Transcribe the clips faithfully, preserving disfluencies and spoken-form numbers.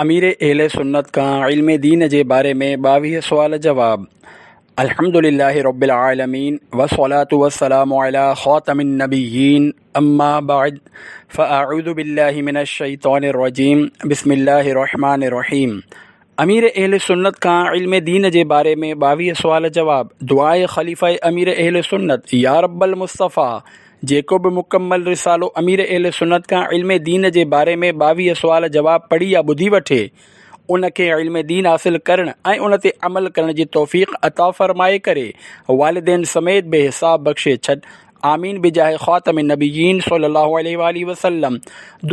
امير اهل سنت کان علم دين جي باري ۾ ٻاويهه سوال جواب. الحمد لله رب العالمين والصلاة والسلام على خاتم النبيين اما بعد فاعوذ بالله من الشيطان الرجيم بسم الله الرحمن الرحيم. امير اهل سنت کان علم دين جي باري ۾ ٻاويهه سوال جواب. دعاء خليفه امير اهل سنت: يا رب المصطفيٰ، جيڪو به مڪمل رسالو امير اهل سنت کان علم دين جي باري ۾ ٻاويهه سوال جواب پڙهي يا ٻڌي وٺي، ان کي علم دين حاصل ڪرڻ ۽ ان تي عمل ڪرڻ جي توفيق عطا فرمائي ڪري والدين سميت بي حساب بخشي ڇڏ، آمين بجاه خاتم النبيين صلي الله عليه واله وسلم.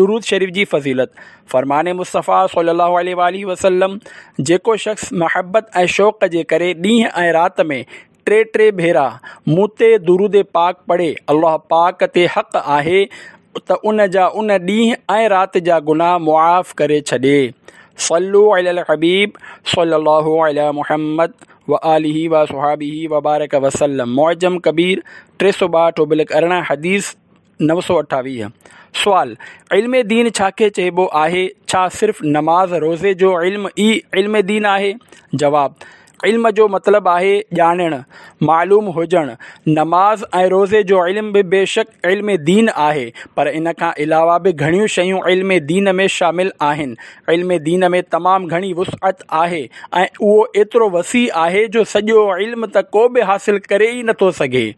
درود شريف جي فضيلت. فرمان مصطفيٰ صلي الله عليه واله وسلم: جيڪو شخص محبت ۽ شوق جي ڪري ڏينهن ۽ رات ۾ ٽي ٽي ڀيرا مون تي درود پاڪ پڙهي، الله پاڪ تي حق آهي ته ان جا ان ڏينهن ۽ رات جا گناهه معاف ڪري ڇڏي. صلو علی الحبيب صلي الله علي محمد وآله وصحابه وبارڪ وسلم. معجم ڪبير ٽي سؤ ٻاهٺ ابلڪ ارڙهن، حديث نو سؤ اٺاويهه. سوال: علم دين ڇا کي چئبو آهي؟ ڇا صرف نماز روزي جو علم ئي علم دين آهي؟ جواب: علم جو مطلب آهي ڄاڻڻ، معلوم هجڻ. نماز ۽ روزي جو علم به بيشڪ علم دين آهي، پر ان کان علاوه به گهڻيون شيون علم دين ۾ شامل آهن. علم دين ۾ تمام گهڻي وسعت آهي ۽ اهو ايترو وسيع آهي جو سڄو علم ته ڪو به حاصل ڪري ئي نٿو سگهي.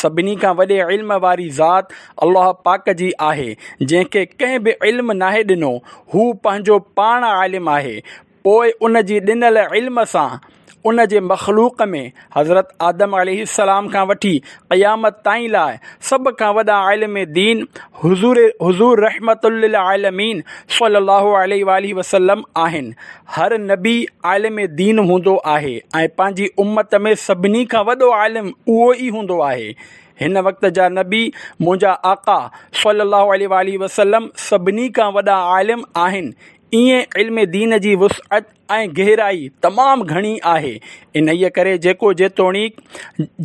سڀني کان وڏي علم واري ذات الله پاڪ جي آهي، جنهن کي ڪنهن به علم ناهي ڏنو. هو پنهنجو پاڻ عالم آهي، پوء ان جي ڏنل علم سان ان جي مخلوق ۾ حضرت آدم عليه السلام کان وٺي قيامت تائين لاء سڀ کان وڏا عالم دين حضور حضور رحمت للعالمين صلي الله عليه واله وسلم آهن. هر نبي عالم دين هوندو آهي ۽ پنهنجي امت ۾ سڀني کان وڏو عالم اهو ئي هوندو آهي. هن وقت جا نبي منهنجا آقا صلي الله عليه واله وسلم سڀني کان وڏا عالم آهن. ائين علم دين جي وسعت ۽ گهرائي تمام گهڻي آهي. انهيء ڪري جيڪو جيتوڻيڪ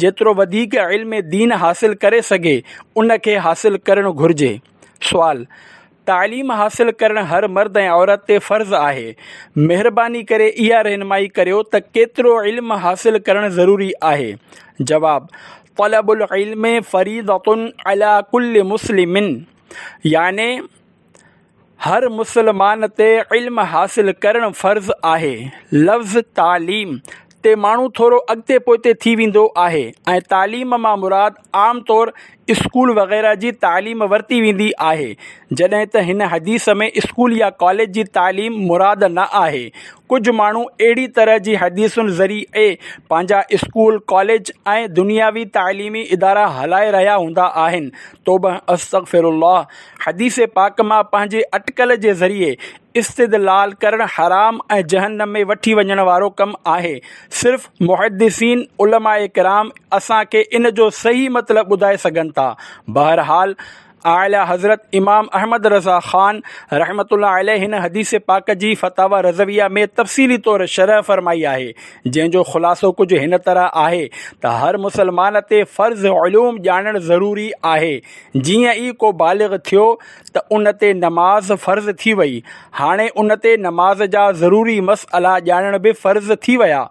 جيترو وڌيڪ علم دين حاصل ڪري سگهي، ان کي حاصل ڪرڻ گهرجي. سوال: تعليم حاصل ڪرڻ هر مرد ۽ عورت تي فرض آهي. مهرباني ڪري اها رهنمائي ڪريو ته ڪيترو علم حاصل ڪرڻ ضروري آهي؟ جواب: طلب العلم فريضة علي ڪل مسلم، يعني هر مسلمان تي علم حاصل ڪرڻ فرض آهي. لفظ تعليم تي ماڻهو ٿورو اڳتي پوئتي ٿي ويندو آهي ۽ تعليم مان مراد عام طور اسڪول وغيره جي تعليم ورتي ويندي آهي، جڏهن ته هن حديث ۾ اسڪول يا ڪاليج جي تعليم مراد نه آهي. ڪجهه ماڻهو اهڙي طرح جي حديثن ذريعي پنهنجا اسڪول، ڪاليج ۽ دنياوي تعليمي ادارا هلائي رهيا هوندا آهن. توبه استغفر الله. حديث پاڪ مان پنهنجي اٽڪل جي ذريعي استدلال ڪرڻ حرام ۽ جهنم ۾ وٺي وڃڻ وارو ڪم آهي. صرف محدثين علماء ڪرام اسان کي ان جو صحيح مطلب ٻڌائي سگهن ٿا. بهرحال اعليٰ حضرت امام احمد رضا خان رحمة الله عليه هن حديث پاڪ جي فتاويٰ رضويه ۾ تفصيلي طور شرح فرمائي آهي، جنهن جو خلاصو ڪجهه هن طرح آهي ته هر مسلمان تي فرض علوم ڄاڻڻ ضروري آهي. جيئن ئي ڪو بالغ ٿيو ته ان تي نماز فرض ٿي وئي. هاڻي ان تي نماز جا ضروري مسئلا ڄاڻڻ به فرض ٿي ويا.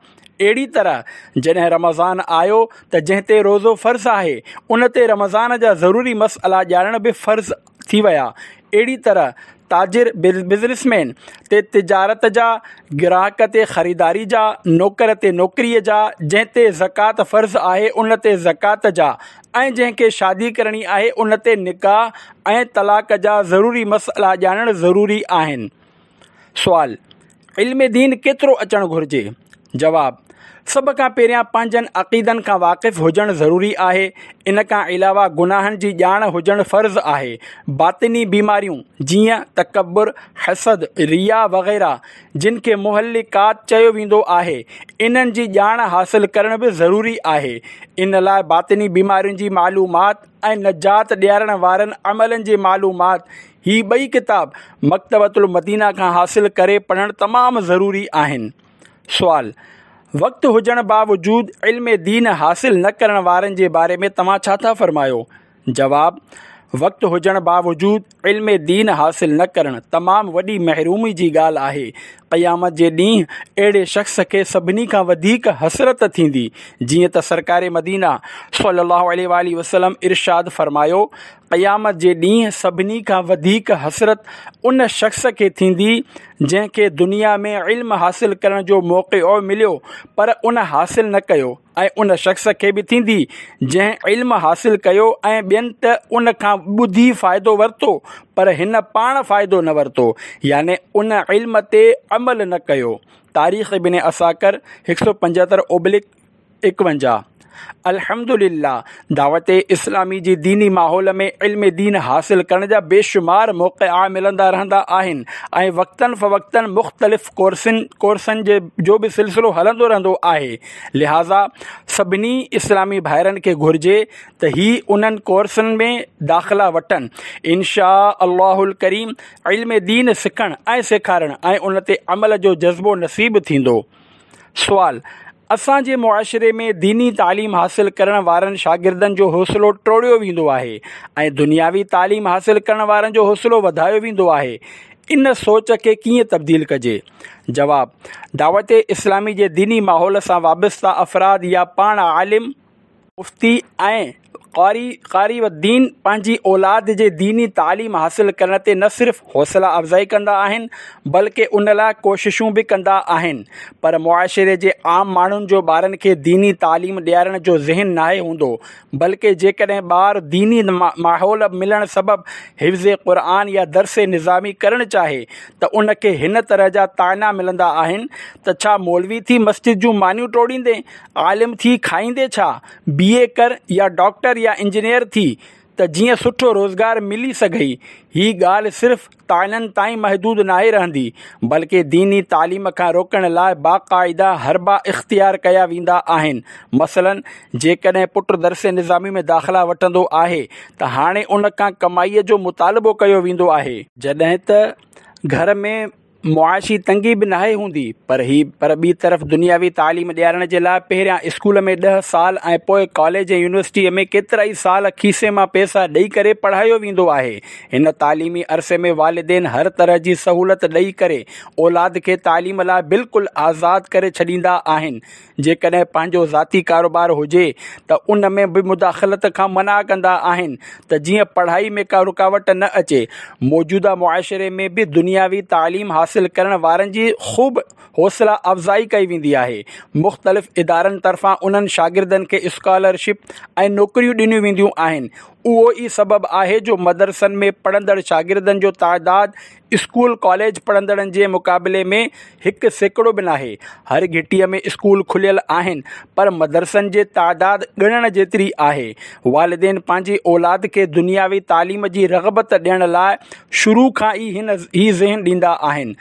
اهڙي طرح جڏهن رمضان آيو ته جنهن تي روزو فرض آهي، ان تي رمضان جا ضروري مسئلا ڄاڻڻ به فرض ٿي ويا. اهڙي طرح تاجر، بزنس مين، تي تجارت جا، گراهڪ تي خريداري جا، نوڪر تي نوڪريء جا، جنهن تي زڪوات فرض آهي ان تي زڪوات جا ۽ جنهن کي شادي ڪرڻي آهي ان تي نڪاح ۽ طلاق جا ضروري مسئلا ڄاڻڻ ضروري آهن. سوال: علم دين ڪيترو اچڻ گهرجي؟ جواب: سڀ کان پهريان پنهنجن عقيدن کان واقف هجڻ ضروري آهي. ان کان علاوه گناهن جي ڄاڻ هجڻ فرض آهي. باطني بيماريون جيئن تڪبر، حسد، رياء وغيره جن کي مهلقات چيو ويندو آهي، انهن جي ڄاڻ حاصل ڪرڻ به ضروري آهي. ان لاء باطني بيمارين جي معلومات ۽ نجات ڏيارڻ وارن عملن جي معلومات، هي ٻئي ڪتاب مڪتبة المدينه کان حاصل ڪري پڙهڻ تمام ضروري آهن. سوال: وقت هجڻ باوجود علم دين حاصل نه ڪرڻ وارن جي باري ۾ توهان ڇا ٿا فرمايو؟ جواب: وقت هجڻ باوجود علم دين حاصل نه ڪرڻ تمام وڏي محرومي جي ڳالهه آهي. قيامت جي ڏينهن اهڙي شخص کي سڀني کان وڌيڪ حسرت ٿيندي. جيئن ته سرڪار مدينه صلي الله عليه وآله وسلم ارشاد فرمايو، قيامت جي ڏينهن سڀني کان وڌيڪ حسرت ان شخص کي ٿيندي جنهن کي دنيا ۾ علم حاصل ڪرڻ جو موقعو مليو پر ان حاصل نه ڪيو، ۽ ان شخص کي به ٿيندي جنهن علم حاصل ڪيو ۽ ٻين ته ان کان ٻڌي فائدو ورتو پر هن پاڻ فائدو نه ورتو، يعني ان علم تي عمل نه ڪيو. تاريخ ابن عساڪر هڪ سؤ پنجهتر اوبلڪ ايڪونجاهه. الحمدلله دعوت اسلامي جي ديني ماحول ۾ علم دين حاصل ڪرڻ جا بيشمار موقعا ملندا رهندا آهن ۽ وقتاً فوقتاً مختلف ڪورسن ڪورسن جي جو به سلسلو هلندو رهندو آهي. لهٰذا سڀني اسلامي ڀائرن کي گهرجي ته هي انهن ڪورسن ۾ داخلا وٺن. انشاء الله الڪريم علم دين سکڻ ۽ سيکارڻ ۽ ان تي عمل جو جذبو نصيب ٿيندو. سوال: اسان جي معاشري ۾ ديني تعليم حاصل ڪرڻ وارن شاگردن جو حوصلو ٽوڙيو ويندو آهي ۽ دنياوي تعليم حاصل ڪرڻ وارن جو حوصلو وڌايو ويندو آهي، ان سوچ کي ڪيئن تبديل ڪجي؟ جواب: دعوت اسلامي جي ديني ماحول سان وابسته افراد يا پاڻ عالم، مفتي ۽ قاري قاري الدين پنهنجي اولاد جي ديني تعليم حاصل ڪرڻ تي نه صرف حوصله افزائي ڪندا آهن بلڪه ان لاء ڪوششون به ڪندا آهن، پر معاشري جي عام ماڻهن جو ٻارن کي ديني تعليم ڏيارڻ جو ذهن ناهي هوندو، بلڪه جيڪڏهن ٻار ديني ماحول ملڻ سبب حفظ قرآن يا درس نظامي ڪرڻ چاهي ته ان کي هن طرح جا طعنا ملندا آهن ته ڇا مولوي ٿي مسجد جون مانيون ٽوڙيندين، عالم ٿي کائيندين ڇا؟ بي اي ڪر يا ڊاڪٽر يا انجنيئر ٿي ته جيئن سٺو روزگار ملي سگهئي. هي ڳالهه صرف طعنن تائين محدود ناهي رهندي، بلڪه ديني تعليم کان روڪڻ لاء باقاعده حربا اختيار ڪيا ويندا آهن. مثلاً جيڪڏهن پٽ درس نظامي ۾ داخلا وٺندو آهي ته هاڻي ان کان ڪمائيء جو مطالبو ڪيو ويندو آهي. جڏهن ته گهر ۾ معاشي تنگي به ناهي هوندي، پر هي پر ٻي طرف دنياوي تعليم ڏيارڻ جي لاء پهريان اسڪول ۾ ڏهه سال ۽ پوء ڪاليج ۽ يونيورسٽيء ۾ ڪيترائي سال کيسي مان پئسا ڏئي ڪري پڙهايو ويندو آهي. هن تعليمي عرصي ۾ والدين هر طرح جي سهولت ڏئي ڪري اولاد کي تعليم لاء بلڪل آزاد ڪري ڇڏيندا آهن. جيڪڏهن پنهنجو ذاتي ڪاروبار هجي ته ان ۾ به مداخلت کان منع ڪندا آهن ته جيئن پڙهائي ۾ ڪا رڪاوٽ نه اچي. موجوده معاشري ۾ به دنياوي تعليم حاصل ڪرڻ وارن جي خوب حوصله افزائي ڪئي ويندي آهي. مختلف ادارن طرفان انهن شاگردن کي اسڪالرشپ ۽ نوڪريون ڏنيون وينديون آهن. اهو ئي سبب آهي جو مدرسن ۾ پڙهندڙ شاگردن جو تعداد اسڪول ڪاليج پڙهندڙن جي مقابلي ۾ هڪ سيڪڙو به ناهي. هر گهٽيء ۾ اسڪول کليل آهن پر مدرسن جي تعداد ڳڻڻ جيتري آهي. والدين پنهنجي اولاد کي دنياوي تعليم جي رغبت ڏيڻ لاء شروع کان ئي هن هي ذهن ڏيندا آهن.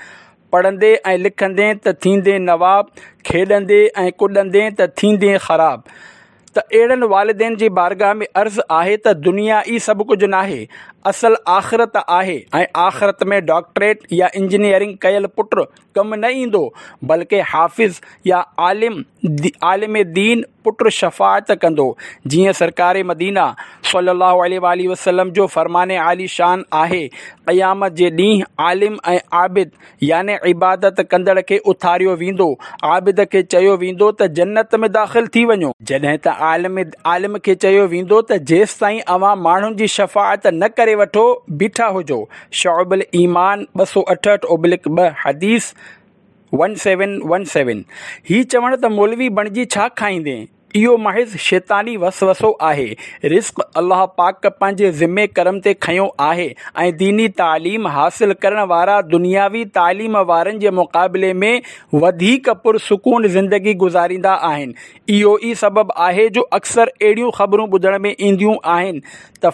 پڙهندي ۽ لکندين ته ٿيندين نواب، کيڏندي ۽ ڪڏندين ته ٿيندين خراب. ته اهڙن والدين جي بارگاهه ۾ عرض آهي ته دنيا ئي سڀ ڪجهه ناهي، اصل آخرت آهي ۽ آخرت ۾ ڊاڪٽريٽ يا انجنيئرنگ ڪيل پٽ ڪم نه ايندو، بلڪه حافظ يا عالم عالم دين پٽ شفاعت ڪندو، جيئن سرڪار مدينه صلي الله عليه واٰله وسلم جو فرمان عالي شان آهي، قيامت جي ڏينهن عالم ۽ عابد يعني عبادت ڪندڙ کي اٿاريو ويندو، عابد کي چيو ويندو ته جنت ۾ داخل ٿي وڃو، جڏهن ته عالم عالم کي چيو ويندو ته جيستائين اوهان ماڻهن جي شفاعت نه ڪري وٺو بيٺا هجو. شعب الايمان ٻه سؤ اٺهٺ اوبلڪ ٻه، حديث ون سيون ون سيون. هي چوڻ ته مولوي بڻجي ڇا کائيندين؟ اهو محض شيطاني وسوسو آهي. رزق الله پاڪ پنهنجي ذمي ڪرم تي کنيو آهي ۽ ديني تعليم حاصل ڪرڻ وارا دنياوي تعليم وارن جي مقابلي ۾ وڌيڪ پرسڪون زندگي گذاريندا آهن. اهو ئي سبب آهي جو اڪثر اهڙيون خبرون ٻڌڻ ۾ اينديون آهن ته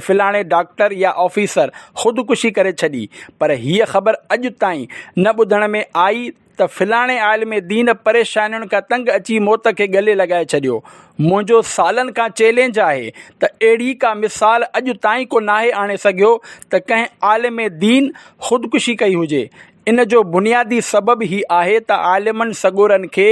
فلاڻي ڊاڪٽر يا آفيسر خودڪشي ڪري ڇڏي پر هيء خبر اڄ تائين نه ٻڌڻ ۾ آئي ته فلاڻي عالم دين پريشانين کان تنگ اچي موت کي ڳلي لڳائي ڇڏيو. منهنجو سالن کان چئلينج آهي ته اهڙي ڪا مثال اڄ تائين ڪو ناهي آڻي سگهيو ته ڪنهن عالم دين خودڪشي ڪئي هجي. ان جو بنيادي سبب هي آهي ته عالمن سڳورن کي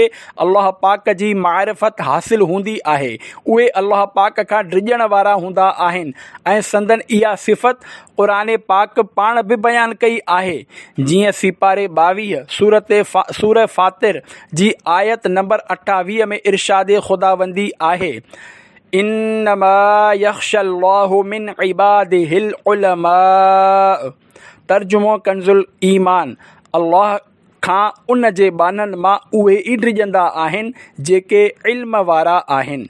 الله پاڪ جي معرفت حاصل هوندي آهي. اهي الله پاڪ کان ڊڄڻ وارا هوندا آهن ۽ سندن اها صفت قرآن پاڪ پاڻ به بيان ڪئي آهي، جيئن سيپاري ٻاويهه سورة فاطر جي آيت نمبر اٺاويهه ۾ ارشاد خداوندي آهي، انما يخشي الله من عباده العلماء. ترجمو ڪنز الايمان، الله کان ان جي ٻانهن مان اهي ئي ڊڄندا آهن جيڪي علم وارا آهن.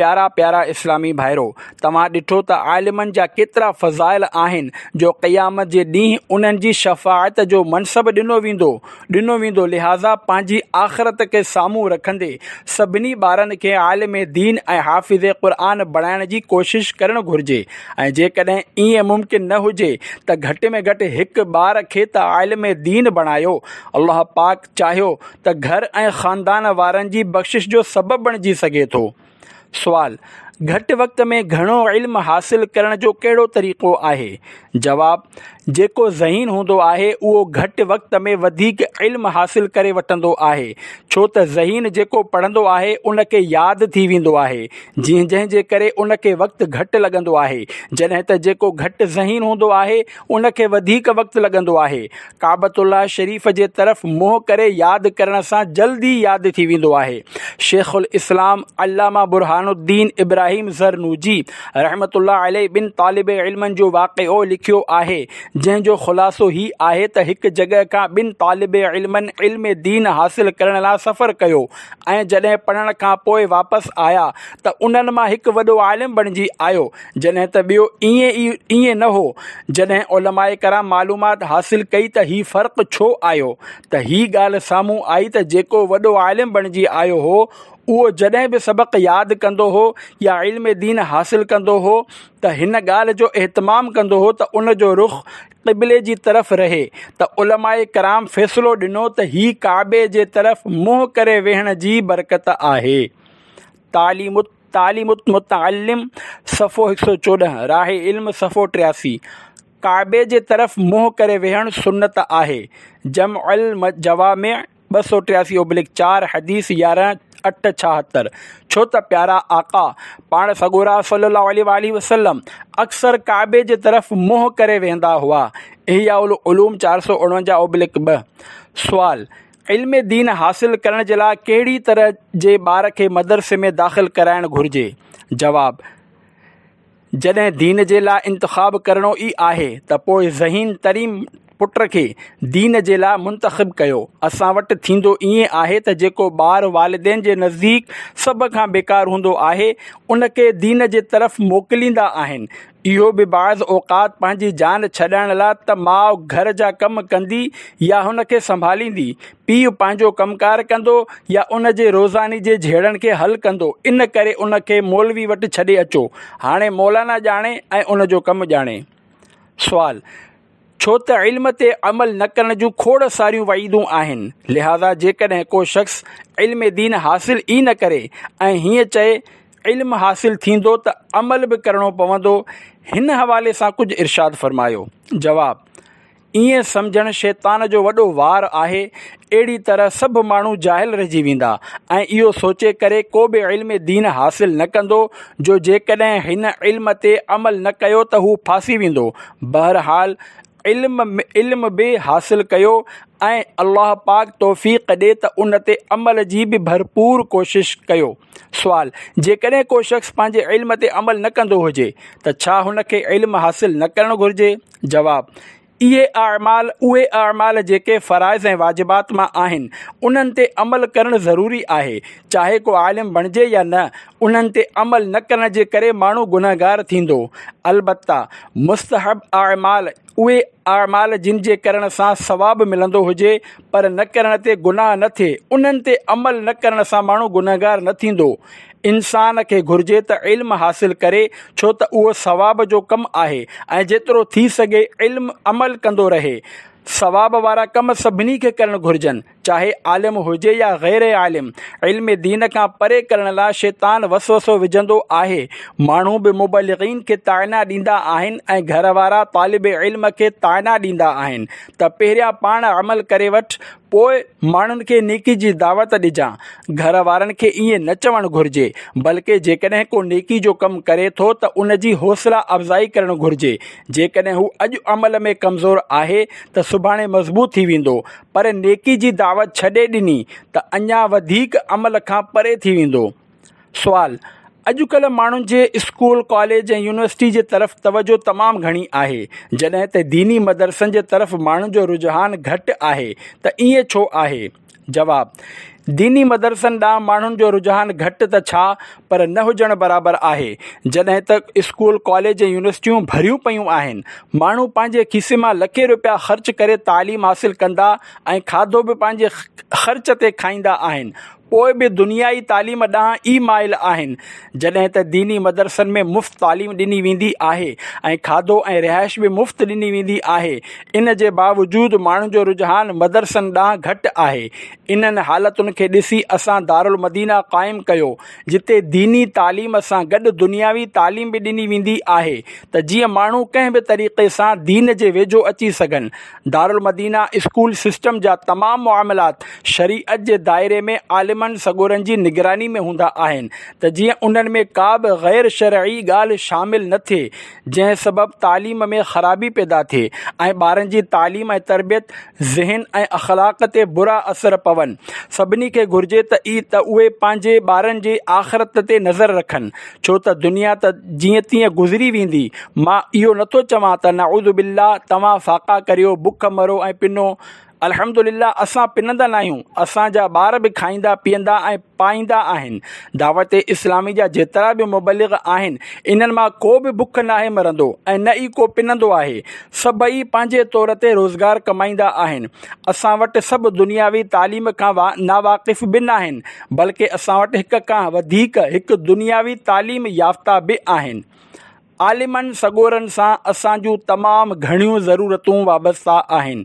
پيارا پيارا اسلامي ڀائرو! توهان ڏٺو ته عالمن جا ڪيترا فضائل آهن جو قيامت جي ڏينهن انهن جي شفاعت جو منصب ڏنو ويندو ڏنو ويندو لهٰذا پنهنجي آخرت کي سامهون رکندي سڀني ٻارن کي عالم دين ۽ حافظ قرآن بڻائڻ جي ڪوشش ڪرڻ گهرجي ۽ جيڪڏهن ائين ممڪن نه هجي ته گهٽ ۾ گهٽ هڪ ٻار کي ته عالم دين بڻايو. الله پاڪ چاهيو ته گهر ۽ خاندان وارن جي بخشش جو سبب بڻجي سگهي ٿو. سوال، گهٽ وقت ۾ گهڻو علم حاصل ڪرڻ جو ڪهڙو طريقو آهي؟ جواب، جيڪو ذهين هوندو آهي اهو گهٽ وقت ۾ وڌيڪ علم حاصل ڪري وٺندو آهي، ڇو ته ذهين جيڪو پڙهندو آهي ان کي ياد ٿي ويندو آهي، جنهن جنهن جي ڪري ان کي وقت گهٽ لڳندو آهي، جڏهن ته جيڪو گهٽ ذهين هوندو آهي ان کي وڌيڪ وقت لڳندو آهي. ڪعبة الله شريف جي طرف منهن ڪري ياد ڪرڻ سان جلدي ياد ٿي ويندو آهي. شيخ الاسلام علامه برهان الدين ابراهيم زرنوجي رحمة الله عليه ٻن طالب علمن جو واقعو لکيو آهي، جنهن جو خلاصو هي آهي ته هڪ جڳهه کان ٻن طالب علمن علم دين حاصل ڪرڻ لاء سفر ڪيو ۽ جڏهن پڙهڻ کان پوء واپس آيا ته انهن مان هڪ وڏو عالم بڻجي آيو جڏهن ته ٻيو ائين ئي ائين نه هو. جڏهن علماء ڪرام معلومات حاصل ڪئي ته هي فرق ڇو آيو ته هي ڳالهه سامهون آئي ته جيڪو وڏو عالم بڻجي آيو هو اهو جڏهن به سبق ياد ڪندو هو يا علم دين حاصل ڪندو هو ته هن ڳالهه جو اهتمام ڪندو هو ته ان جو رخ قبلي جي طرف رهي ته علماء ڪرام فيصلو ڏنو ته هي ڪعبي جي طرف منهن ڪري ويهڻ جي برڪت آهي. تعليم تعليم المتعلم صفحو هڪ سؤ چوڏهن، راهه علم صفحو ٽياسي، ڪعبي جي طرف منهن ڪري ويهڻ سنت آهي، جمع الجوامع ٻه سؤ ٽياسي اوبلڪ چار، حديث يارهن اٺ ڇاهتر، ڇو ته پيارا آقا پاڻ سڳورا صلي الله عليه واٰله وسلم اڪثر ڪعبي جي طرف منهن ڪري ويهندا هئا، احياء العلوم چار سؤ اڻونجاهه اوبلڪ ٻه. سوال، علم دين حاصل ڪرڻ جي لاء ڪهڙي طرح جي ٻار کي مدرسي ۾ داخل ڪرائڻ گهرجي؟ جواب، جڏهن دين جي لاء انتخاب ڪرڻو ئي آهي ته پوء ذهين ترين پٽ کي دين جي لاء منتخب ڪيو. اسان وٽ ٿيندو ائين آهي ته جيڪو ٻار والدين جي نزديڪ سڀ کان بيڪار هوندو آهي ان کي دين جي طرف موڪليندا آهن. اهو به بعض اوقات پنهنجي جان ڇڏائڻ لاء ته ماء گهر جا ڪم ڪندي يا هن کي سنڀاليندي، پيء پنهنجو ڪم ڪار ڪندو يا ان جي روزاني جي جهيڙن کي حل ڪندو، ان ڪري ان کي مولوي وٽ ڇڏي اچو، هاڻي مولانا ڄاڻي ۽ ان جو ڪم ڄاڻي. سوال، ڇو ته علم تي عمل نه ڪرڻ جون کوڙ ساريون وعيدون آهن، لهٰذا جيڪڏهن ڪو شخص علم دين حاصل ئي نه ڪري ۽ هيئن چئي علم حاصل ٿيندو ته عمل به ڪرڻو پوندو، هن حوالي سان ڪجهه ارشاد فرمايو. جواب، ائين سمجهڻ شيطان جو وڏو وار آهي، اهڙي طرح سڀ ماڻهو جاهل رهجي ويندا ۽ اهو سوچي ڪري ڪو به علم دين حاصل نه ڪندو جو جيڪڏهن هن علم تي عمل نه ڪيو ته هو ڦاسي ويندو. بهرحال علم علم به حاصل ڪيو ۽ الله پاڪ توفيق ڏي ته ان تي عمل جي به ڀرپور ڪوشش ڪيو. سوال، جيڪڏهن ڪو شخص پنهنجي علم تي عمل نه ڪندو هجي ته ڇا هن کي علم حاصل نه ڪرڻ گهرجي؟ جواب، اهي اعمال اهي اعمال جيڪي فرائض ۽ واجبات مان آهن انهن تي عمل ڪرڻ ضروري آهي، چاهي ڪو عالم بڻجي يا نه، انهن تي عمل نه ڪرڻ جي ڪري ماڻهو گنهگار ٿيندو. البته مستحب اعمال اهي اعمال جن جي ڪرڻ سان ثواب ملندو هجي پر نه ڪرڻ تي گناهه نه ٿئي، انهن تي عمل نه ڪرڻ سان ماڻهو گنهگار نه ٿيندو. انسان کي گهرجي ته علم حاصل ڪري ڇو ته اهو ثواب جو ڪم آهي ۽ جيترو ٿي سگهي علم عمل ڪندو رهي. ثواب وارا ڪم سڀني کي ڪرڻ گهرجن، چاهي عالم هجي يا غير عالم. علم دين کان پري ڪرڻ لاء شيطان وسوسو وجهندو آهي. ماڻهو به مبلغين کي طعنا ڏيندا آهن ۽ گهر وارا طالب علم کي طعنا ڏيندا آهن ته پهريان پاڻ عمل ڪري وٺ، پوء ماڻهن کي نيڪي جي دعوت ڏجان. گهر وارن کي ائين نه چوڻ گهرجي، بلڪه جيڪڏهن ڪو نيڪي جو ڪم ڪري ٿو ته ان جي حوصله افزائي ڪرڻ گهرجي. جيڪڏهن هو اڄ عمل ۾ ڪمزور آهي ته سڀاڻي مضبوط ٿي ويندو، پر نيڪي جي دعوت ڇڏي ڏني ته اڃا وڌيڪ عمل کان پري ٿي ويندو. سوال: اڄڪلهه ماڻهن جي اسڪول، ڪاليج ۽ يونيورسٽي جي طرف توجه تمام گهڻي آهي، جڏهن ته ديني مدرسن جي طرف ماڻهن جو رجحان گهٽ آهي ته ائين ڇو آهي؟ جواب: ديني مدرسن ڏانهن ماڻهن جو رجحان گهٽ ته ڇا پر نه هجڻ برابر آهي، جڏهن ته اسڪول، ڪاليج ۽ يونيورسٽيون ڀريون پيون آهن. ماڻهو پنهنجي کيسي مان لکين روپيا خرچ ڪري تعليم حاصل ڪندا ۽ کاڌو به پنهنجي خرچ تي کائيندا آهن، پوء به دنيائي تعليم ڏانهن ئي مائل آهن، جڏهن ته ديني مدرسن ۾ مفت تعليم ڏني ويندي آهي ۽ کاڌو ۽ رهائش به مفت ڏني ويندي آهي، ان جي باوجود ماڻهن جو رجحان مدرسن ڏانهن گهٽ آهي. انهن حالتن کي ڏسي اسان دارالمدينه قائم ڪيو، جتي ديني تعليم سان گڏ دنياوي تعليم به ڏني ويندي آهي ته جيئن ماڻهو ڪنهن به طريقي سان دين جي ويجهو اچي سگهن. دارالمدينه اسڪول سسٽم جا تمام معاملات شريعت جي دائري ۾ عالمن سڳورن جي نگراني ۾ هوندا آهن ته جيئن انهن ۾ ڪا به غير شرعي ڳالهه شامل نه ٿئي، جنهن سبب تعليم ۾ خرابي پيدا ٿئي ۽ ٻارن جي تعليم ۽ تربيت، ذهن ۽ اخلاق تي برا اثر پون. سڀني کي گهرجي ته ته اهي پنهنجي ٻارن جي آخرت تي نظر رکن، ڇو ته دنيا ته جيئن تيئن گذري ويندي. مان اهو نٿو چوان ته نعوذ بالله توهان فاقا ڪريو، بک مرو ۽ پنو. الحمدلله اسان پنندا ناهيون، اسان جا ٻار به کائيندا پيئندا ۽ پائيندا آهن. دعوت اسلامي جا جيترا به مبلغ آهن، انهن مان ڪو به بک ناهي مرندو ۽ نه ئي ڪو پنندو آهي. سڀئي پنهنجي طور تي روزگار ڪمائيندا آهن. اسان وٽ سڀ دنياوي تعليم کان ناواقف به ناهن، بلڪه اسان وٽ هڪ کان وڌيڪ هڪ دنياوي تعليم يافته به آهن. عالمن سڳورن سان اسان جون تمام گهڻيون ضرورتون وابسته آهن.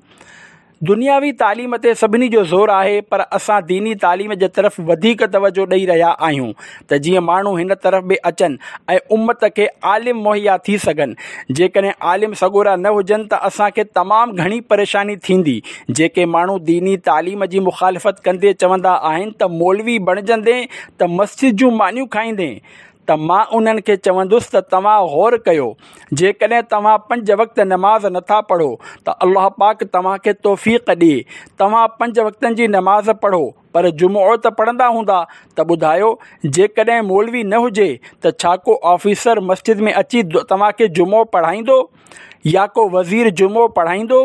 دنياوي تعليم تي سڀني جو زور آهي، پر اسان ديني تعليم جي طرف وڌيڪ توجه ڏئي رهيا آهيون ته جيئن ماڻهو هن طرف به اچن ۽ امت کي عالم مهيا ٿي سگهن. جيڪڏهن عالم سڳورا نه هجن ته اسان کي تمام گهڻي پريشاني ٿيندي. جيڪي ماڻهو ديني تعليم جي مخالفت ڪندي چوندا آهن ته مولوي بڻجندين ته مسجد جون مانيون کائيندين، ته مان انهن کي چوندس ته توهان غور ڪيو، جيڪڏهن توهان پنج وقت نماز نٿا پڙهو ته الله پاڪ توهان کي توفيق ڏئي، توهان پنج وقتن جي نماز پڙهو، پر جمعو ته پڙهندا هوندا، ته ٻڌايو جيڪڏهن مولوي نه هجي ته ڇا ڪو آفيسر مسجد ۾ اچي توهان کي جمعو پڙهائيندو؟ يا ڪو وزير جمعو پڙهائيندو؟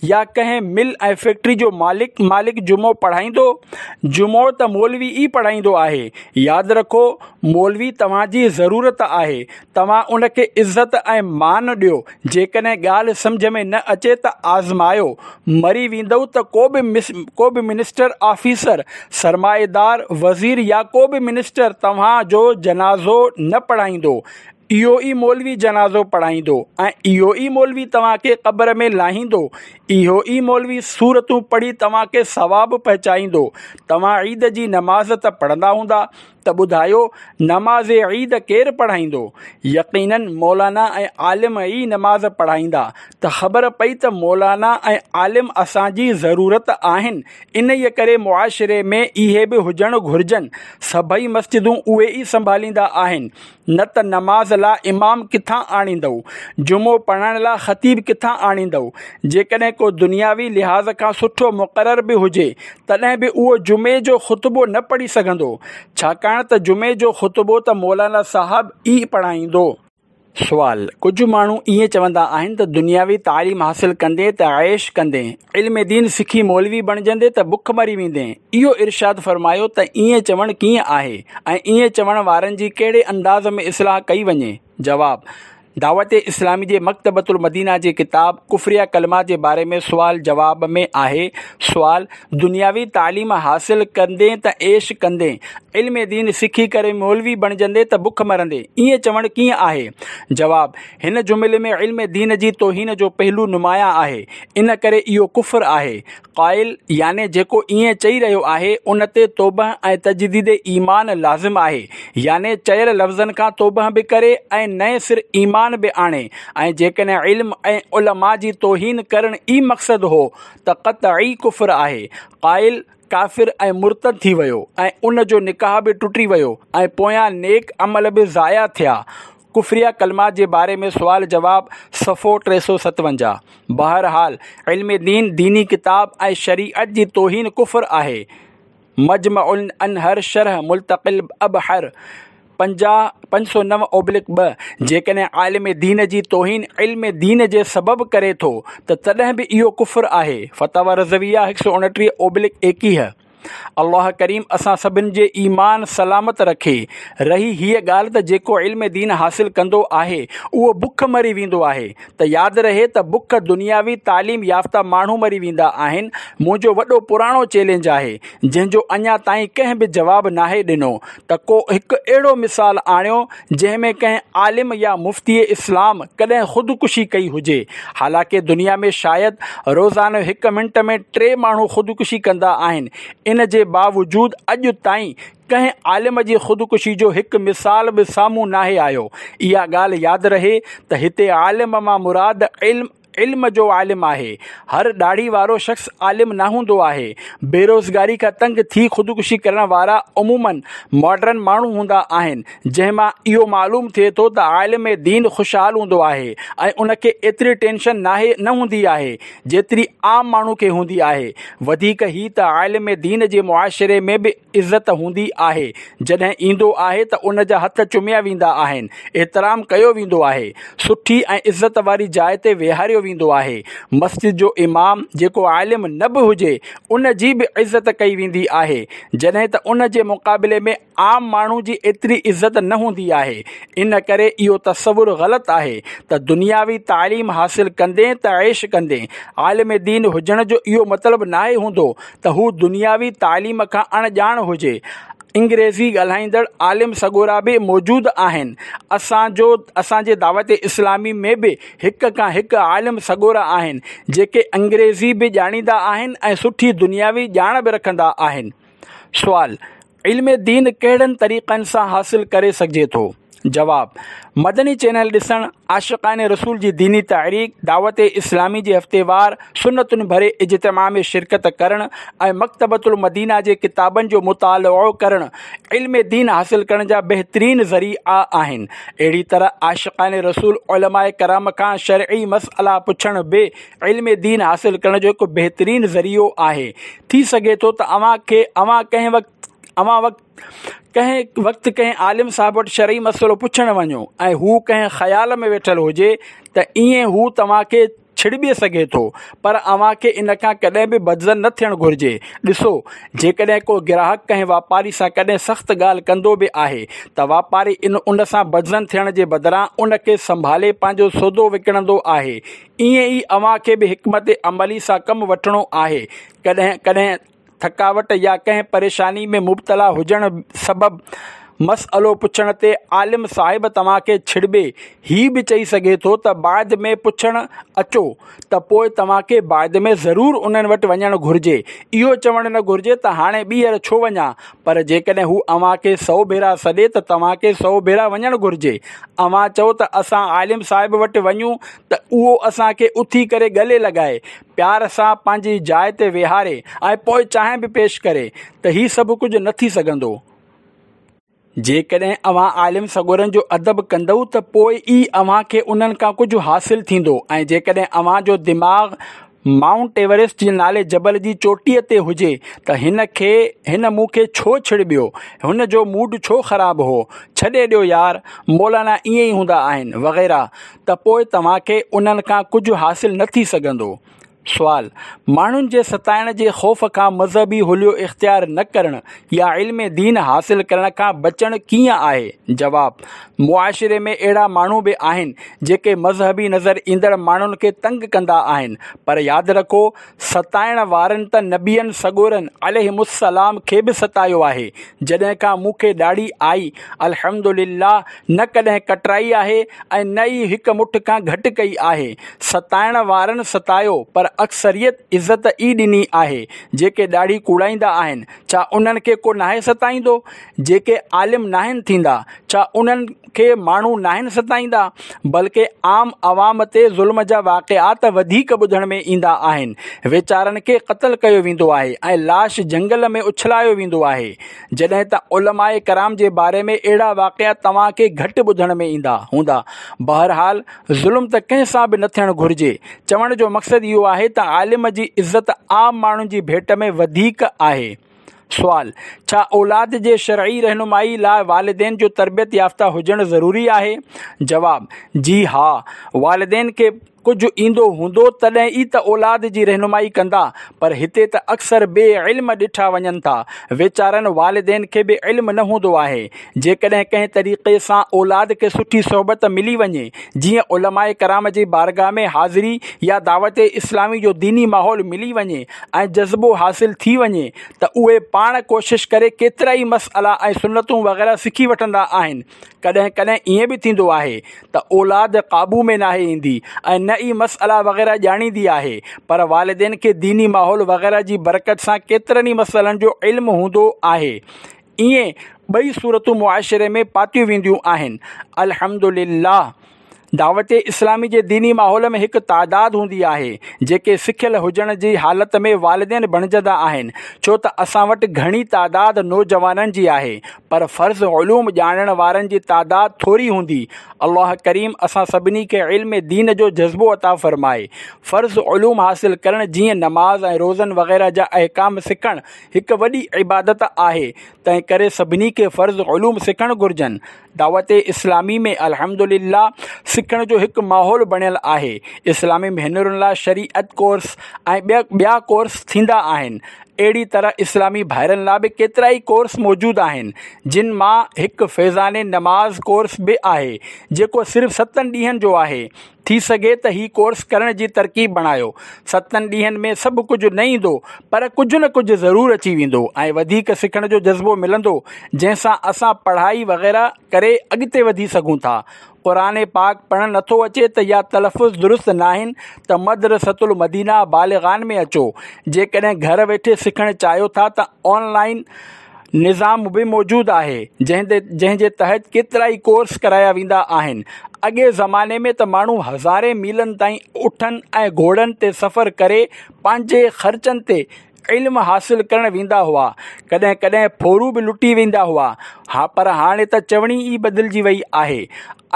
يا ڪنهن مل ۽ فيڪٽري جو مالڪ مالڪ جمعو پڙهائيندو؟ جمعو ته مولوي ئي پڙهائيندو آهي. ياد رکو مولوي توهان جي ضرورت آهي، توهان ان کي عزت ۽ مان ڏيو. جيڪڏهن ڳالهه سمجهه ۾ نه اچي ته آزمايو، مري ويندؤ ته ڪو به ڪو به منسٽر، آفيسر، سرمائيدار، وزير يا ڪو به منسٽر توهان جو جنازو نه پڙهائيندو. اهو ئي مولوي جنازو پڙهائيندو ۽ اهو ئي مولوي توهان کي قبر ۾ لاهيندو. اهو ئي مولوي سورتون پڙهي توهان کي ثواب پهچائيندو. توهان عيد جي نماز ته پڙهندا هوندا، ته ٻڌايو نماز عيد ڪير پڙهائيندو؟ يقيناً مولانا ۽ عالم ئي نماز پڙهائيندا. ته خبر پئي ته مولانا ۽ عالم اسان جي ضرورت آهن، انهيء ڪري معاشري ۾ اهي به هجڻ گهرجن. سڀئي مسجدون اهي ئي سنڀاليندا آهن. نه ته نماز لاء امام ڪٿان آڻيندؤ؟ جمعو پڙهائڻ لاء خطيب ڪٿان آڻيندؤ؟ جيڪڏهن ڪو دنياوي لحاظ کان سٺو مقرر به هجي، تڏهن به اهو جمعي جو خطبو نه پڙهي سگهندو، ڇاڪاڻ ته جمعي جو خطبو ته مولانا صاحب ئي پڙهائيندو. سوال، ڪجهه ماڻهو ائين چوندا آهن ته دنياوي تعليم حاصل ڪندين ته عيش ڪندين، علم دين سکي مولوي بڻجندين ته بک مري ويندين. اهو ارشاد فرمايو ته ائين چوڻ ڪيئن آهي ۽ ائين چوڻ وارن جي ڪهڙي انداز ۾ اصلاح ڪئي وڃي؟ جواب، دعوت اسلامي جي مڪتبة المدينه جي ڪتاب ڪفريه ڪلمات جي باري ۾ سوال جواب ۾ آهي. سوال: دنياوي تعليم حاصل ڪندين ته عيش ڪندين، علم دين سکي ڪري مولوي بڻجندين ته بک مرندين، ائين چوڻ ڪيئن آهي؟ جواب: هن جملي ۾ علم دين جي توهين جو پهلو نمايان آهي، ان ڪري اهو ڪفر آهي. قائل يعني جيڪو ائين چئي رهيو آهي، ان تي توبه ۽ تجديد ايمان لازم آهي، يعني چيل لفظن کان توبه به ڪري ۽ نئين سر ايمان به آڻي، ۽ جيڪڏهن علم ۽ علماء جي توهين ڪرڻ ئي مقصد هو ته قطعي ڪفر آهي. قائل ڪافر ۽ مرتد ٿي ويو ۽ ان جو نڪاح به ٽٽي ويو ۽ پويان نيڪ عمل به ضايع ٿيا. ڪفريه ڪلمات جي باري ۾ سوال جواب، صفحو ٽي سؤ ستونجاهه. بهرحال علم دين، ديني ڪتاب ۽ شريعت جي توهين ڪفر آهي. مجمع الانهر شرح ملتقي الابحر پنجاهه پنج سؤ نو اوبلڪ ٻه. جيڪڏهن عالم دين جي توهين علم دين جي سبب ڪري ٿو ته تڏهن به اهو ڪفر آهي. فتاويٰ رضويه هڪ سؤ اڻٽيهه اوبلڪ ايڪيهه. الله ڪريم اسان سڀن جي ايمان سلامت رکي. رهي هيء ڳالهه ته جيڪو علم دين حاصل ڪندو آهي اهو بک مري ويندو آهي ته ياد رهي ته بک دنياوي تعليم يافته ماڻهو مري ويندا آهن. منهنجو وڏو پراڻو چئلينج آهي، جنهن جو اڃا تائين ڪنهن به جواب ناهي ڏنو ته ڪو هڪ اهڙو مثال آڻيو جنهن ۾ ڪنهن عالم يا مفتي اسلام ڪڏهن خودڪشي ڪئي هجي. حالانڪه دنيا ۾ شايد روزانو هڪ منٽ ۾ ٽي ماڻهو خودڪشي ڪندا آهن، ان جي باوجود اڄ تائين ڪنهن عالم جي خودڪشي جو هڪ مثال به سامهون ناهي آيو. اها ڳالهه ياد رهي ته هتي عالم مان مراد علم علم جو عالم آهي. هر ڏاڙهي وارو شخص عالم نه هوندو آهي. بيروزگاري کان تنگ ٿي خودڪشي ڪرڻ وارا عموماً ماڊرن ماڻهو هوندا آهن، جنهن مان اهو معلوم ٿئي ٿو ته عالم دين خوشحال هوندو آهي ۽ ان کي ايتري ٽينشن ناهي نه هوندي آهي جيتري عام ماڻهو کي هوندي آهي. وڌيڪ هي ته عالم دين جي معاشري ۾ به عزت هوندي آهي، جڏهن ايندو آهي ته ان جا هٿ چميا ويندا آهن، احترام ڪيو ويندو آهي، سٺي ۽ عزت واري جاء تي ويهاريو ويندو آهي. مسجد جو امام جيڪو عالم نه به هجي ان جي به عزت ڪئي ويندي آهي، جڏهن ته ان جي مقابلي ۾ عام ماڻهو جي ايتري عزت نه هوندي آهي. ان ڪري اهو تصور غلط آهي ته دنياوي تعليم حاصل ڪندين ته عيش ڪندين. عالم دين هجڻ جو اهو مطلب ناهي هوندو ته هو دنياوي تعليم کان اڻ ڄاڻ هجي. انگريزي ڳالهائيندڙ عالم سڳورا به موجود آهن. اسان جو اسان جي دعوت اسلامي ۾ به هڪ کان هڪ عالم سڳورا آهن، جيڪي انگريزي به ڄاڻيندا آهن ۽ سٺي دنياوي ڄاڻ به رکندا آهن. سوال: علم دين ڪهڙن طريقن سان حاصل ڪري سگهجي ٿو؟ جواب: مدني چينل ڏسڻ، عاشقان رسول جي ديني تحريڪ، دعوت اسلامي جي هفتيوار سنتن ڀري اجتماع ۾ شرڪت ڪرڻ ۽ مڪتبة المدينه جي ڪتابن جو مطالعو ڪرڻ علم دين حاصل ڪرڻ جا بهترين ذريعا آهن. اهڙي طرح عاشقان رسول علماء ڪرام کان شرعي مسئلا پڇڻ به علم دين حاصل ڪرڻ جو هڪ بهترين ذريعو آهي. ٿي سگهي ٿو ته اوهان کي اوهان ڪنهن وقت اوهان وقت ڪنهن وقت ڪنهن عالم صاحب وٽ شرعي مسئلو پڇڻ وڃو ۽ هو ڪنهن خيال ۾ ويٺل هجي ته ائين هو توهان کي ڇڙٻي سگهي ٿو، پر اوهان کي ان کان ڪڏهن به بدظن نه ٿيڻ گهرجي. ڏسو، جيڪڏهن ڪو گراهڪ ڪنهن واپاري سان ڪڏهن سخت ڳالهه ڪندو به آهي ته واپاري ان ان سان بدظن ٿيڻ جي بدران ان کي سنڀالي پنهنجو سودو وڪڻندو آهي. ائين ئي اوهان کي به حڪمت عملي سان ڪم وٺڻو آهي. ڪڏهن ڪڏهن ٿڪاوٽ يا ڪنهن پريشاني ۾ مبتلا هجڻ سبب مسئلو پڇڻ تي عالم صاحب توهان کي ڇڙٻي هي به چئي سگهي ٿو ته بعد ۾ پڇڻ اچو ته پوء توهان کي بعد ۾ ضرور انهن وٽ وڃڻ گهرجي. اهو چوڻ نه گهرجي ته هاڻي ٻيهر ڇو وڃان، پر جيڪڏهن هو اوهان کي سؤ ڀيرا سڏي ته توهان کي سؤ ڀيرا وڃڻ گهرجي. اوهان چئو ته اسان عالم صاحب وٽ وڃون ته اهو اسان کي اٿي ڪري ڳلي لڳائي، پيار سان پنهنجي جاء تي ويهاري ۽ پوء چانهه به پيش ڪري ته هي سڀ ڪجهه نه ٿي سگهندو. جيڪڏهن اوهان عالم سڳورن جو ادب ڪندؤ ته پوء ئي اوهان کي انهن کان ڪجهه حاصل ٿيندو، ۽ جيڪڏهن اوهان جو دماغ مائونٽ ايورسٽ جي نالي جبل جي چوٽيء تي هجي ته هن کي هن مون کي ڇو ڇڙٻيو، هن جو موڊ ڇو خراب هو، ڇڏي ڏيو يار، مولانا ائين ئي هوندا آهن، وغيره ته پوء توهان کي انهن کان ڪجهه حاصل نه ٿي سگهندو. سوال: ماڻهن جي ستائڻ جي خوف کان مذهبي حليو اختيار نه ڪرڻ يا علم دين حاصل ڪرڻ کان بچڻ ڪيئن آهي؟ جواب: معاشري ۾ اهڙا ماڻهو به آهن جيڪي مذهبي نظر ايندڙ ماڻهن کي تنگ ڪندا آهن، پر ياد رکو ستائڻ وارن ته نبين سڳورن عليهم السلام کي به ستايو آهي. جڏهن کان مون کي ڏاڙهي آئي الحمدلله نه ڪڏهن ڪٽرائي آهي ۽ نه ئي هڪ مٺ کان گهٽ ڪئي آهي. ستائڻ وارن ستايو پر اڪثريت عزت ئي ڏني آهي. جيڪي ڏاڙهي ڪوڙائيندا آهن ڇا انهن کي ڪو ناهي ستائيندو؟ جيڪي عالم ناهن ٿيندا ڇا انهن کي ماڻهو ناهن ستائيندا؟ بلڪه عام عوام تي ظلم جا واقعات وڌيڪ ٻڌڻ ۾ ايندا آهن. ويچارن کي قتل ڪيو ويندو آهي ۽ لاش جهنگل ۾ اڇلايو ويندو آهي. جڏهن ته علماء ڪرام جي باري ۾ اهڙا واقعا توهان کي گهٽ ٻڌڻ ۾ ايندا هوندا. بهرحال ظلم ته ڪنهن سان به نه ٿيڻ گهرجي. چوڻ جو مقصد اهو آهي ته عالم جي عزت عام ماڻهن جي ڀيٽ ۾ وڌيڪ آهي. سوال: ڇا اولاد جي شرعي رهنمائي لاء والدين جو تربيت يافته هجڻ ضروري آهي؟ جواب: جي ها، والدين کي ڪجهه ايندو هوندو تڏهن ئي ته اولاد جي رهنمائي ڪندا، پر هتي ته اڪثر بي علم ڏٺا وڃن ٿا. ويچارن والدين کي به علم نه هوندو آهي. جيڪڏهن ڪنهن طريقي سان اولاد کي سٺي صحبت ملي وڃي، جيئن علماء ڪرام جي بارگاهه ۾ حاضري يا دعوت اسلامي جو ديني ماحول ملي وڃي ۽ جذبو حاصل ٿي وڃي ته اهي پاڻ ڪوشش ڪري ڪيترائي مسئلا ۽ سنتون وغيره سکي وٺندا آهن. ڪڏهن ڪڏهن ائين به ٿيندو آهي ته اولاد قابو ۾ ناهي ايندي ۽ نه ئي مسئلا وغيره ڄاڻيندي آهي، پر والدين کي ديني ماحول وغيره جي برڪت سان ڪيترن ئي مسئلن جو علم هوندو آهي. ائين ٻئي صورتون معاشري ۾ پاتيون وينديون آهن. الحمدلله دعوت اسلامي جي ديني ماحول ۾ هڪ تعداد هوندي آهي جيڪي سکيل هجڻ جي حالت ۾ والدين بڻجندا آهن، ڇو ته اسان وٽ گهڻي تعداد نوجوانن جي آهي پر فرض علوم ڄاڻڻ وارن جي تعداد ٿوري هوندي. الله ڪريم اسان سڀني کي علم دين جو جذبو عطا فرمائي. فرض علوم حاصل ڪرڻ جيئن نماز ۽ روزن وغيره جا احڪام سکڻ هڪ وڏي عبادت آهي، تنهن ڪري سڀني کي فرض علوم سکڻ گهرجن. دعوت اسلامي ۾ الحمدلله سکڻ جو هڪ ماحول بڻيل آهي. اسلامي ڀينرن لاء شريعت ڪورس ۽ ٻيا ڪورس ٿيندا آهن. اهڙي طرح اسلامي ڀائرن لاء به ڪيترائي ڪورس موجود آهن، جن مان هڪ فيضان نماز ڪورس به آهي جيڪو صرف ستن ڏينهن جو آهي. ٿي سگهي ته هي ڪورس ڪرڻ جي ترڪيب بڻايو. ستن ڏينهن ۾ سڀ ڪجهه نه ايندو پر ڪجهه نه ڪجهه ضرور اچي ويندو ۽ وڌيڪ سکڻ جو جذبو ملندو، جنهن سان اسان پڙهائي وغيره ڪري اڳتي وڌي سگهون ٿا. قرآن پاڪ پڙهڻ نٿو اچي ته يا تلفظ درست ناهن ته مدرسة المدينه بالغان ۾ اچو. جيڪڏهن گهر ويٺي سکڻ چاهيو ٿا ته آن لائن نظام به موجود آهي، جنهن جي تحت ڪيترائي ڪورس ڪرايا ويندا آهن. اڳئين زماني ۾ ته ماڻهو هزارين ميلن تائين اٺن ۽ گهوڙن تي سفر ڪري پنهنجي خرچن تي علم حاصل ڪرڻ ويندا هئا. ڪڏهن ڪڏهن ڦورو به لٽي ويندا هئا، پر هاڻي ته چوڻي ئي بدلجي وئي آهي.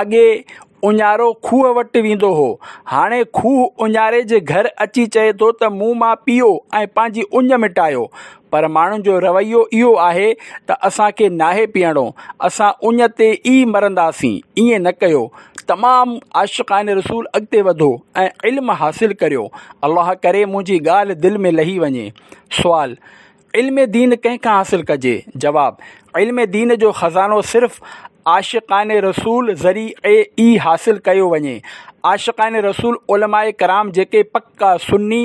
اڳي اڃارو کوهه وٽ ويندو هو، هاڻي کوهه اڃاري جي گهر اچي چئي ٿو ته مون مان پيئو ۽ پنهنجي اڃ مٽايو. پر ماڻهن جو رويو اهو آهي ته اسان کي ناهي پيئڻو، اسان اڃ تي ئي مرنداسين. ائين نه ڪيو. تمام عاشقان رسول اڳتي وڌو ۽ علم حاصل ڪريو. الله ڪري منهنجي ڳالهه دل ۾ لهي وڃي. سوال: علم دين ڪنهن کان حاصل ڪجي؟ جواب: علم دين جو خزانو صرف عاشقان رسول ذريعي ئي حاصل ڪيو وڃي. عاشقان رسول علماء ڪرام جيڪي پڪا سني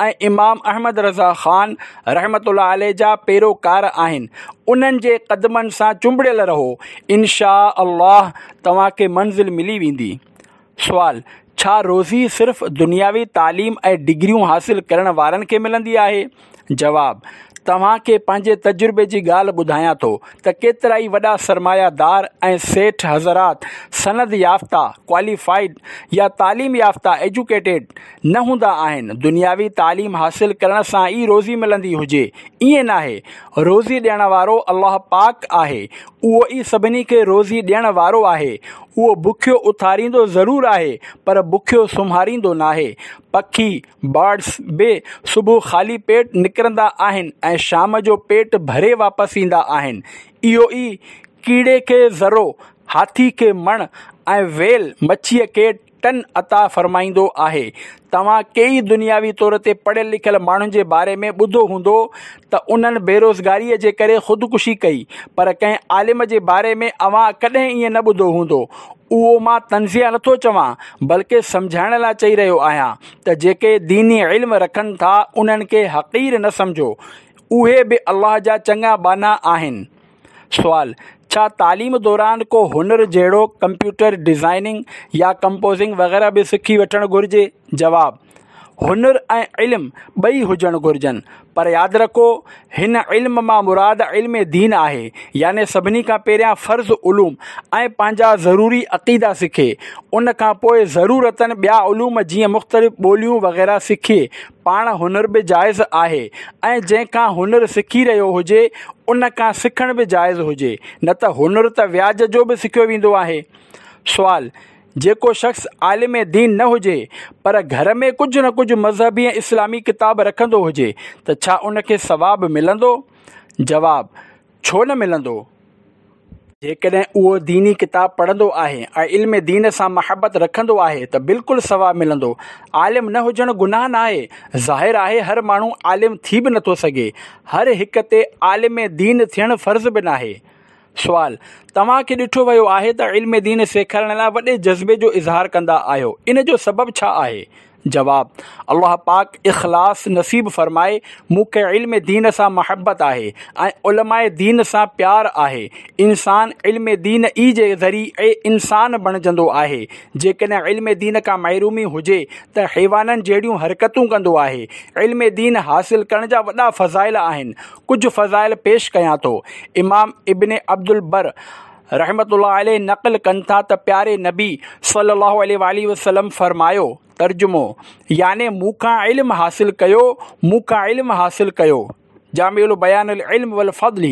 ۽ امام احمد رضا خان رحمة الله عليه جا پيروڪار آهن، انهن جي قدمن سان چنبڙيل رهو، ان شاء الله توهان کي منزل ملي ويندي. سوال: ڇا روزي صرف دنياوي تعليم ۽ ڊگريون حاصل ڪرڻ وارن کي ملندي آهي؟ جواب: توهان کي پنهنجي تجربي جي ڳالهه ٻڌايان ٿو ته ڪيترائي وڏا سرمايه دار ۽ سيٺ حضرات سند يافته، Qualified، يا تعليم يافته، Educated، نه هوندا آهن. دنياوي تعليم حاصل ڪرڻ سان ئي روزي ملندي هجي، ائين ناهي. روزي ڏيڻ وارو الله پاڪ آهي، اهو ئي سڀني کي روزي ڏيڻ وارو آهي. اهو بکيو اٿاريندو ضرور آهي پر بکيو سمهاريندو ناهي. پکي، Birds، به صبح خالي پيٽ نڪرندا آهن ۽ شام جو پيٽ ڀري واپس ايندا آهن. اهو ئي ڪيڙي کي ذرو، هاٿي کي مڻ ۽ ويل مڇيء کي ٽن عطا فرمائيندو آهي. توهان ڪيئي دنياوي طور تي پڙهيل لکيل ماڻهن جي باري ۾ ٻڌو هوندو ته انهن بيروزگاريء جي ڪري خودڪشي ڪئي، پر ڪنهن عالم جي باري ۾ اوهان ڪڏهن ائين نه ٻڌو هوندو. اهو مان طنزيه نٿو چوان، بلڪه سمجهائڻ لاء چئي رهيو آهيان ته جيڪي ديني علم رکن ٿا انهن کي حقير نه سمجهو، اهي به الله جا چڱا ٻانها آهن. سوال: ڇا تعليم دوران ڪو هنر جهڙوڪ ڪمپيوٽر ڊزائننگ يا ڪمپوزنگ وغيره به سکي وٺڻ گهرجي؟ جواب: هنر ۽ علم ٻئي هجڻ گهرجن، پر ياد رکو هن علم مان مراد علم دين آهي، يعني سڀني کان پهريان فرض علوم ۽ پنهنجا ضروري عقيدا سکي، ان کان پوء ضرورتن ٻيا علوم جيئن مختلف ٻوليون وغيره سکي. پاڻ هنر به جائز آهي ۽ جنهن کان هنر سکي رهيو هجي ان کان سکڻ به جائز هجي، نه ته هنر ته وياج جو به سکيو ويندو آهي. سوال: جيڪو شخص عالم دين نه هجي پر گهر ۾ ڪجهه نه ڪجهه مذهبي ۽ اسلامي ڪتاب رکندو هجي ته ڇا ان کي ثواب ملندو؟ جواب: ڇو نه ملندو؟ جيڪڏهن اهو ديني ڪتاب پڙهندو آهي ۽ علم دين سان محبت رکندو آهي ته بلڪل ثواب ملندو. عالم نه هجڻ گناهه ناهي. ظاهر آهي هر ماڻهو عالم ٿي به نٿو سگهي. هر هڪ تي عالم دين ٿيڻ فرض به ناهي. سوال: توهان کي ڏٺو ويو آهي ته علم دين سيکارڻ لاء وڏي جذبي جو اظهار ڪندا آهيو، ان جو سبب ڇا آهي؟ جواب: الله پاڪ اخلاص نصيب فرمائي. مون کي علم دين سان محبت آهي ۽ علماء دين سان پيار آهي. انسان علم دين ئي جي ذريعي انسان بڻجندو آهي. جيڪڏهن علم دين کان محرومي هجي ته حيوانن جهڙيون حرڪتون ڪندو آهي. علم دين حاصل ڪرڻ جا وڏا فضائل آهن، ڪجهه فضائل پيش ڪيان ٿو. امام ابن عبدالبر رحمة الله عليه نقل ڪن ٿا ته پياري نبي صلي الله عليه وآله وسلم فرمايو، ترجمو: يعني مون کان علم حاصل ڪيو، مون کان علم حاصل ڪيو. جامع البيان العلم والفضل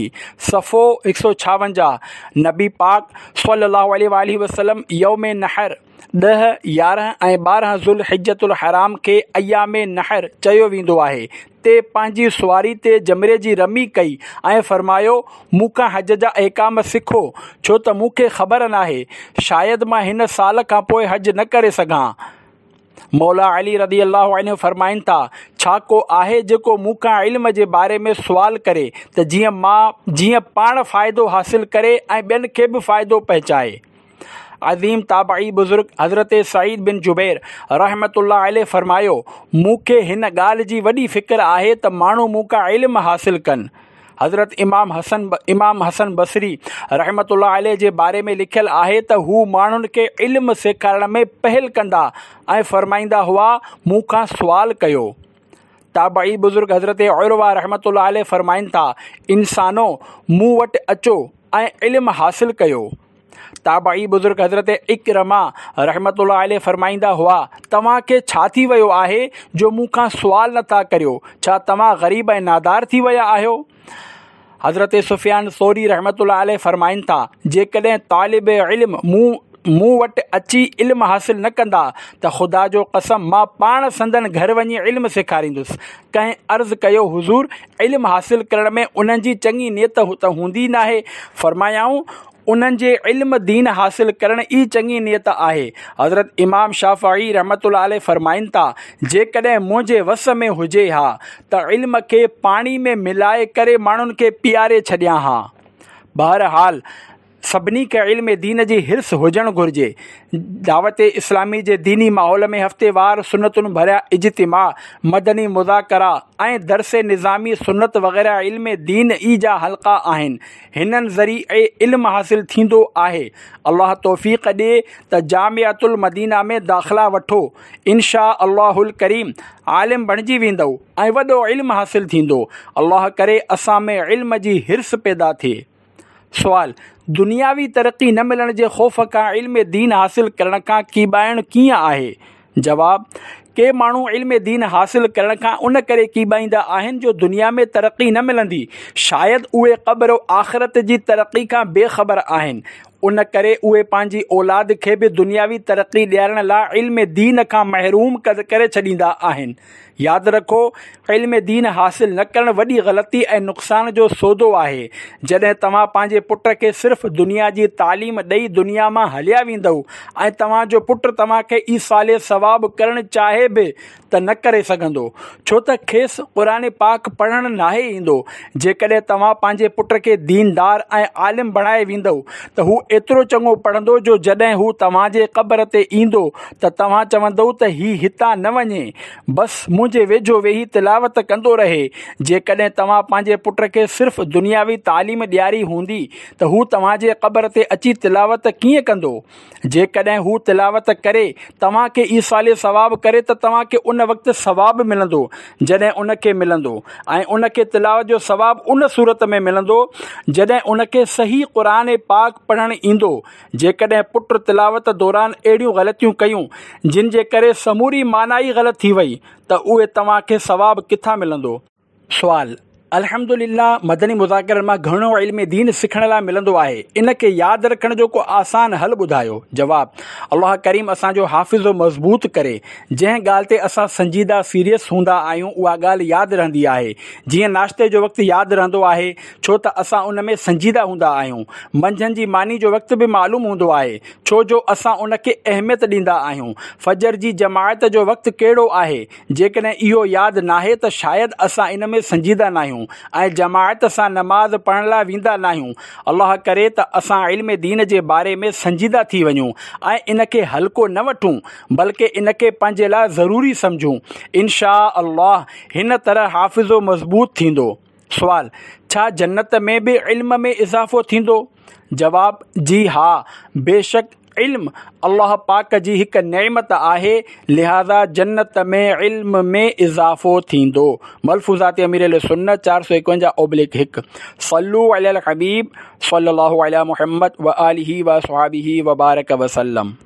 صفحو هڪ سؤ ڇاونجاهه. نبي پاڪ صلي الله عليه وآله وسلم يوم نحر ڏهه، يارهن ۽ ٻارهن ذوالحجة الحرام کي ايام نحر چيو ويندو آهي تي پنهنجي سواري تي جمري جي رمي ڪئي ۽ فرمايو، مون کان حج جا احڪام سکو، ڇو ته مون کي خبر ناهي، شايد مان هن سال کان پوء حج نه ڪري سگهان. مولا علي رضي الله عنه فرمائن ٿا، ڇا ڪو آهي جيڪو مون کان علم جي باري ۾ سوال ڪري ته جيئن مان جيئن پاڻ فائدو حاصل ڪري ۽ ٻين کي به فائدو پهچائي؟ عظيم تابعي بزرگ حضرت سعيد بن جبير رحمة الله عليه فرمايو، مون کي هن ڳالهه جي وڏي فڪر آهي ته ماڻهو مون کان علم حاصل ڪن. حضرت امام حسن امام حسن بصري رحمة الله عليه جي باري ۾ لکيل آهي ته هو ماڻهن کي علم سيکارڻ ۾ پهل ڪندا ۽ فرمائيندا هئا، مون کان سوال ڪيو. تابعي بزرگ حضرت عروه رحمة الله عليه فرمائن ٿا، انسانو! مون وٽ اچو ۽ علم حاصل ڪيو. تابعي بزرگ حضرت عڪرمه رحمة الله عليه فرمائيندا هئا، توهان کي ڇا ٿي ويو آهي جو مون کان سوال نه ٿا ڪريو، ڇا توهان غريب ۽ نادار ٿي ويا آهيو؟ حضرت سفيان ثوري رحمة الله عليه فرمائن ٿا، جيڪڏهن طالب علم مون مون وٽ اچي علم حاصل نه ڪندا ته خدا جو قسم مان پاڻ سندن گهر وڃي علم سيکاريندس. ڪنهن عرض ڪيو، حضور! علم حاصل ڪرڻ ۾ انهن جي چڱي نيت ته هوندي ناهي. فرمايائون، انهن جي علم دين حاصل ڪرڻ ئي چڱي نيت آهي. حضرت امام شافعي رحمة الله عليه فرمائن ٿا، جيڪڏهن منهنجي وس ۾ هجي ها ته علم کي پاڻي ۾ ملائي ڪري ماڻهن کي پياري ڇڏيان ها. بهرحال سڀني کي علم دين جي حرص هجڻ گهرجي. دعوت اسلامي جي ديني ماحول ۾ هفتيوار سنتن ڀريا اجتماع، مدني مذاڪرا ۽ درس نظامي سنت وغيره علم دين ئي جا حلقا آهن. هنن ذريعي علم حاصل ٿيندو آهي. الله توفيق ڏي ته جامعة المدينه ۾ داخلا وٺو، ان شاء الله الڪريم عالم بڻجي ويندؤ ۽ وڏو علم حاصل ٿيندو. الله ڪري اسان ۾ علم جي حرص پيدا ٿئي. سوال، دنياوي ترقي نه ملڻ جي خوف کان علم دين حاصل ڪرڻ کان ڪيٻائڻ ڪيئن آهي؟ جواب، ڪي ماڻهو علم دين حاصل ڪرڻ کان ان ڪري ڪيٻائيندا آهن جو دنيا ۾ ترقي نه ملندي، شايد اهي قبر و آخرت جي ترقي کان بي خبر آهن، ان ڪري اهي پنهنجي اولاد کي به دنياوي ترقي ڏيارڻ لاء علم دين کان محروم ڪري ڇڏيندا آهن. ياد رکو، علم دين حاصل نه ڪرڻ وڏي غلطي ۽ نقصان جو سودو آهي. جڏهن توهان پنهنجي پٽ کي صرف دنيا جي تعليم ڏئي دنيا مان هليا ويندؤ ۽ توهان جو پٽ توهان کي ايصال ثواب ڪرڻ چاهي به ته نه ڪري سگهندو، ڇو ته کيس قرآن پاڪ پڙهڻ ناهي ايندو. جيڪڏهن توهان پنهنجي پٽ کي ديندار ۽ عالم بڻائي ويندؤ ته هو ايترو چڱو پڙهندو جو جڏهن هو توهان جي قبر تي ايندو ته توهان چوندؤ ته هي هتان نه وڃي، بس منهنجي ويجهو ويهي تلاوت ڪندو رهي. جيڪڏهن توهان پنهنجي پٽ کي صرف دنياوي تعليم ڏياري هوندي ته هو توهان جي قبر تي اچي تلاوت ڪيئن ڪندو؟ جيڪڏهن هو تلاوت ڪري توهان کي ايصال ثواب ڪري ته توهان کي ان وقت ثواب ملندو جڏهن ان کي ملندو، ۽ ان کي تلاوت جو ثواب ان صورت ۾ ملندو جڏهن ان کي صحيح قرآن پاڪ پڙهڻ ايندو. جيڪڏهن پٽ تلاوت دوران اهڙيون غلطيون ڪيون جن جي ڪري سموري معنيٰ ئي غلط ٿي وئي ته اهي توهان کي ثواب ڪٿان ملندو؟ سوال: الحمدلله مدني مذاڪرن مان گهڻو علم دين سکڻ لاء ملندو آهي، ان کي ياد رکڻ جو ڪو آسان حل ٻڌايو. جواب: الله ڪريم اسان جو حافظو مضبوط ڪري. جنهن ڳالهه تي اسان سنجيده سيريس هوندا آهيون اها ڳالهه ياد رهندي آهي. جيئن ناشتي جو وقت ياد رهندو آهي ڇو ته اسان ان ۾ سنجيده هوندا آهيون. منجهند جي ماني جو وقت به معلوم هوندو آهي ڇو جو اسان ان کي اهميت ڏيندا آهيون. فجر جي جماعت جو وقت ڪهڙو آهي، جيڪڏهن اهو ياد ناهي ته شايد اسان ان ۾ سنجيده ناهيون ۽ جماعت سان نماز پڙهڻ لاء ويندا ناهيون. الله ڪري ته اسان علم دين جي باري ۾ سنجيده ٿي وڃون ۽ ان کي هلڪو نه وٺون بلڪه ان کي پنهنجي لاء ضروري سمجهون. انشاء الله هن طرح حافظو مضبوط ٿيندو. سوال: ڇا جنت ۾ به علم ۾ اضافو ٿيندو؟ جواب: جي ها، بيشڪ علم الله پاڪ جي هڪ نعمت آهي، لهذا جنت ۾ علم ۾ اضافو ٿيندو. ملفوظات امير اهل سنت چار سؤ ايڪونجاهه اوبليڪ هڪ. صلو علی الحبيب صلي الله علی محمد وآله وصحبه وبارڪ وسلم.